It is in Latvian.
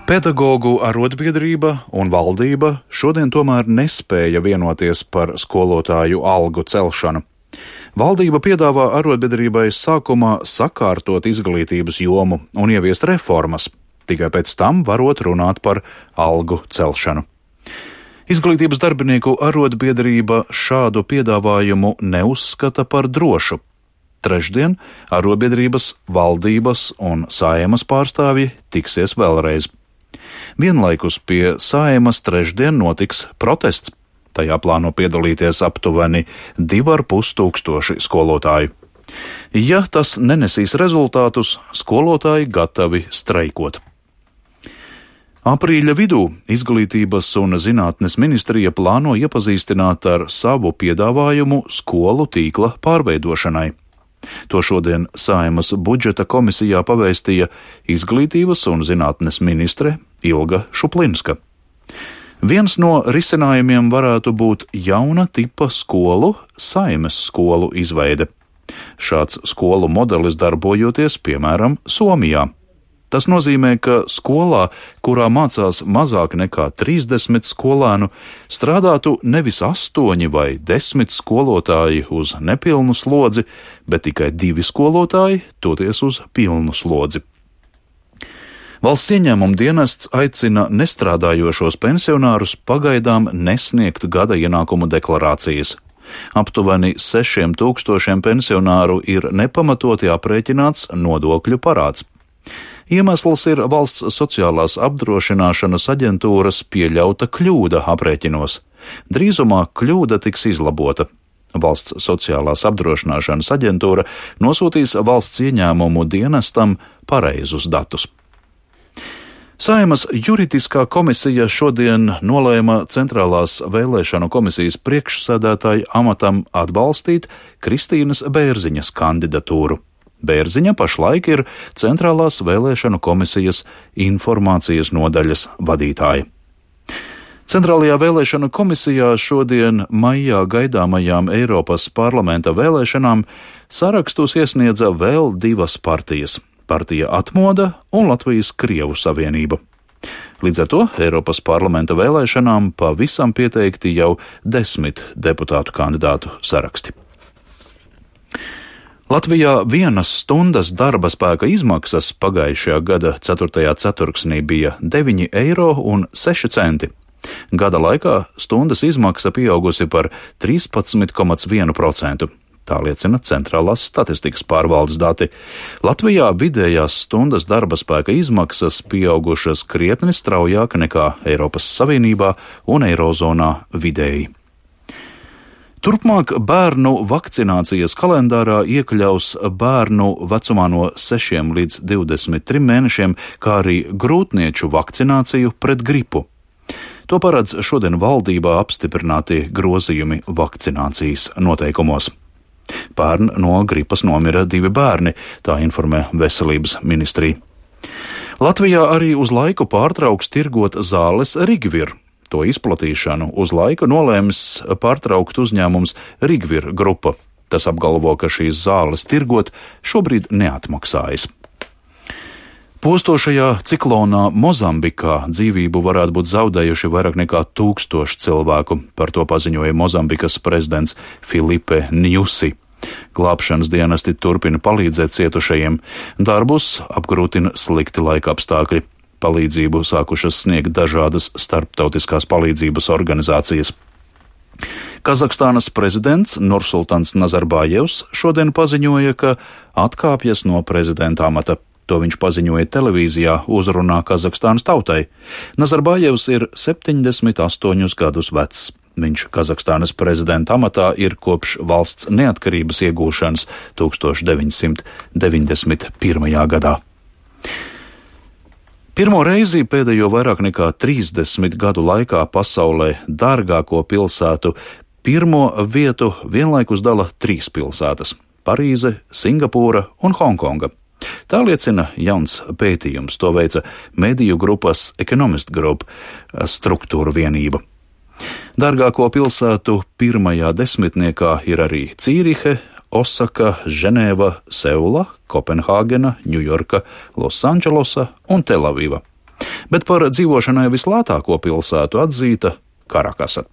Pedagogu arotbiedrība un valdība šodien tomēr nespēja vienoties par skolotāju algu celšanu. Valdība piedāvā arotbiedrībai sākumā sakārtot izglītības jomu un ieviest reformas, tikai pēc tam varot runāt par algu celšanu. Izglītības darbinieku arotbiedrība šādu piedāvājumu neuzskata par drošu. Trešdien arotbiedrības, valdības un Saeimas pārstāvji tiksies vēlreiz. Vienlaikus pie Saeimas trešdien notiks protests. Tajā plāno piedalīties aptuveni 2500 skolotāju. Ja tas nenesīs rezultātus, skolotāji gatavi streikot. Aprīļa vidū Izglītības un zinātnes ministrija plāno iepazīstināt ar savu piedāvājumu skolu tīkla pārveidošanai. To šodien Saeimas budžeta komisijā pavēstīja Izglītības un zinātnes ministre Ilga Šuplinska. Viens no risinājumiem varētu būt jauna tipa skolu, Saeimas skolu izveide. Šāds skolu modelis darbojoties, piemēram, Somijā. Tas nozīmē, ka skolā, kurā mācās mazāk nekā 30 skolēnu, strādātu nevis 8 vai 10 skolotāji uz nepilnu slodzi, bet tikai 2 skolotāji toties uz pilnu slodzi. Valsts ieņēmuma dienests aicina nestrādājošos pensionārus pagaidām nesniegt gada ienākumu deklarācijas. Aptuveni 6000 pensionāru ir nepamatoti aprēķināts nodokļu parāds. Iemesls ir valsts sociālās apdrošināšanas aģentūras pieļauta kļūda aprēķinos. Drīzumā kļūda tiks izlabota. Valsts sociālās apdrošināšanas aģentūra nosūtīs valsts ieņēmumu dienestam pareizus datus. Saeimas juridiskā komisija šodien nolēma Centrālās vēlēšanu komisijas priekšsēdētāju amatam atbalstīt Kristīnas Bērziņas kandidatūru. Bērziņa pašlaik ir Centrālās vēlēšanu komisijas informācijas nodaļas vadītāja. Centrālajā vēlēšanu komisijā šodien maijā gaidāmajām Eiropas parlamenta vēlēšanām sarakstus iesniedza vēl 2 partijas – Partija Atmoda un Latvijas Krievu savienība. Līdz ar to Eiropas parlamenta vēlēšanām pavisam pieteikti jau 10 deputātu kandidātu saraksti. Latvijā 1 stundas darba spēka izmaksas pagājušajā gada 4. ceturksnī bija 9,06 eiro. Gada laikā stundas izmaksa pieaugusi par 13,1%. Tā liecina Centrālās statistikas pārvaldes dati. Latvijā vidējās stundas darba spēka izmaksas pieaugušas krietni straujāk nekā Eiropas Savienībā un Eirozonā vidēji. Turpmāk bērnu vakcinācijas kalendārā iekļaus bērnu vecumā no 6 līdz 23 mēnešiem, kā arī grūtnieču vakcināciju pret gripu. To paredz šodien valdībā apstiprināti grozījumi vakcinācijas noteikumos. Pērn no gripas nomira 2 bērni, tā informē Veselības ministrija. Latvijā arī uz laiku pārtrauks tirgot zāles Rigvir. To izplatīšanu uz laiku nolēmis pārtraukt uzņēmums Rigvir grupa. Tas apgalvo, ka šīs zāles tirgot šobrīd neatmaksājas. Postošajā ciklonā Mozambikā dzīvību varētu būt zaudējuši vairāk nekā 1000 cilvēku. Par to paziņoja Mozambikas prezidents Filipe Njusi. Glābšanas dienesti turpina palīdzēt cietušajiem. Darbus apgrūtina slikti laika apstākļi. Palīdzību sākušas sniegt dažādas starptautiskās palīdzības organizācijas. Kazahstānas prezidents Nursultans Nazarbājevs šodien paziņoja, ka atkāpjas no prezidenta amata. To viņš paziņoja televīzijā uzrunā Kazahstānas tautai. Nazarbājevs ir 78 gadus vecs. Viņš Kazahstānas prezidenta amatā ir kopš valsts neatkarības iegūšanas 1991. gadā. Pirmo reizi pēdējo vairāk nekā 30 gadu laikā pasaulē dārgāko pilsētu pirmo vietu vienlaikus dala 3 pilsētas – Parīze, Singapūra un Hongkonga. Tā liecina jauns pētījums, to veica mediju grupas Economist Group struktūra vienība. Dārgāko pilsētu pirmajā desmitniekā ir arī Cīrihe, Osaka, Ženēva, Seula, Kopenhāgena, Ņujorka, Losandželosa un Telaviva. bet par dzīvošanai vislētāko pilsētu atzīta Karakasa.